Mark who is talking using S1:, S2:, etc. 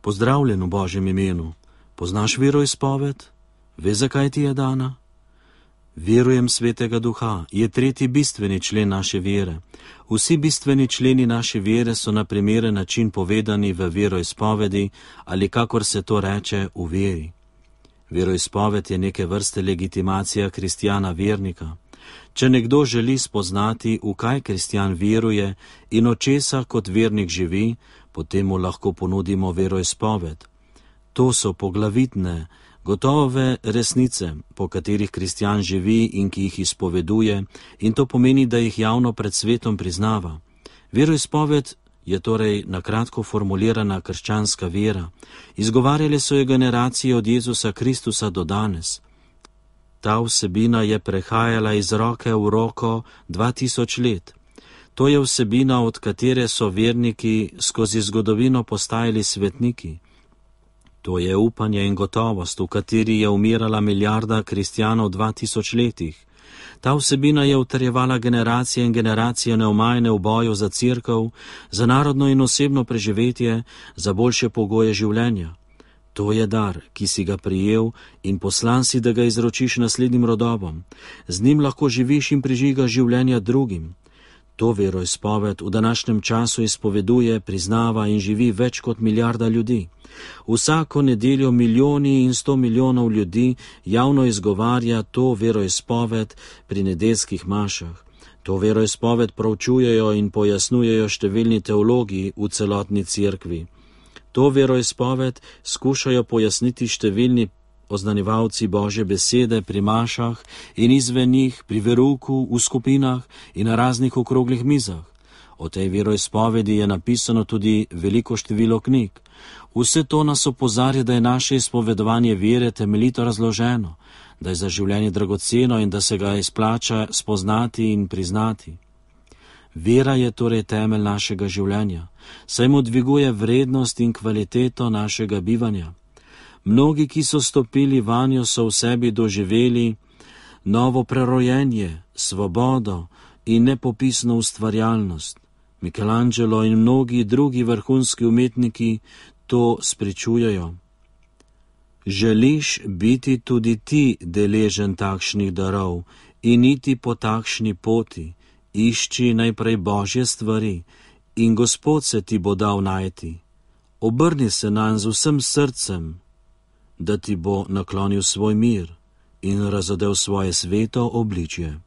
S1: Pozdravljen v Božjem imenu. Poznaš veroizpoved? Veš, zakaj ti je dana? Verujem Svetega Duha je tretji bistveni člen naše vere. Vsi bistveni členi naše vere so na primeren način povedani v veroizpovedi ali kakor se to reče v veri. Veroizpoved je neke vrste legitimacija kristjana vernika. Če nekdo želi spoznati, v kaj kristjan veruje in od česa kot vernik živi, potem mu lahko ponudimo veroizpoved. To so poglavitne, gotove resnice, po katerih kristjan živi in ki jih izpoveduje, in to pomeni, da jih javno pred svetom priznava. Veroizpoved je torej na kratko formulirana krščanska vera. Izgovarjale so jo generacije od Jezusa Kristusa do danes. Ta vsebina je prehajala iz roke v roko 2000 let. To je vsebina, od katere so verniki skozi zgodovino postajali svetniki. To je upanje in gotovost, v kateri je umirala milijarda kristjanov v 2000 letih. Ta vsebina je utrjevala generacije in generacije neomajne v boju za cerkev, za narodno in osebno preživetje, za boljše pogoje življenja. To je dar, ki si ga prijel in poslan si, da ga izročiš naslednjim rodobom. Z njim lahko živiš in prižigaš življenja drugim. To veroizpoved v današnjem času izpoveduje, priznava in živi več kot milijarda ljudi. Vsako nedeljo milijoni in 100 milijonov ljudi javno izgovarja to veroizpoved pri nedeljskih mašah. To veroizpoved proučujejo in pojasnjujejo številni teologi v celotni cerkvi. To veroizpoved skušajo pojasniti številni oznanjevalci Božje besede pri mašah in izven njih, pri verouku, v skupinah in na raznih okroglih mizah. O tej veroizpovedi je napisano tudi veliko število knjig. Vse to nas opozarja, da je naše izpovedovanje vere temeljito razloženo, da je za življenje dragoceno in da se ga izplača spoznati in priznati. Vera je torej temelj našega življenja, saj mu dviguje vrednost in kvaliteto našega bivanja. Mnogi, ki so stopili vanjo, so v sebi doživeli novo prerojenje, svobodo in nepopisno ustvarjalnost. Michelangelo in mnogi drugi vrhunski umetniki to spričujejo. Želiš biti tudi ti deležen takšnih darov in iti po takšni poti, išči najprej Božje stvari in Gospod se ti bo dal najti. Obrni se nanj z vsem srcem, da ti bo naklonil svoj mir in razodel svoje sveto obličje.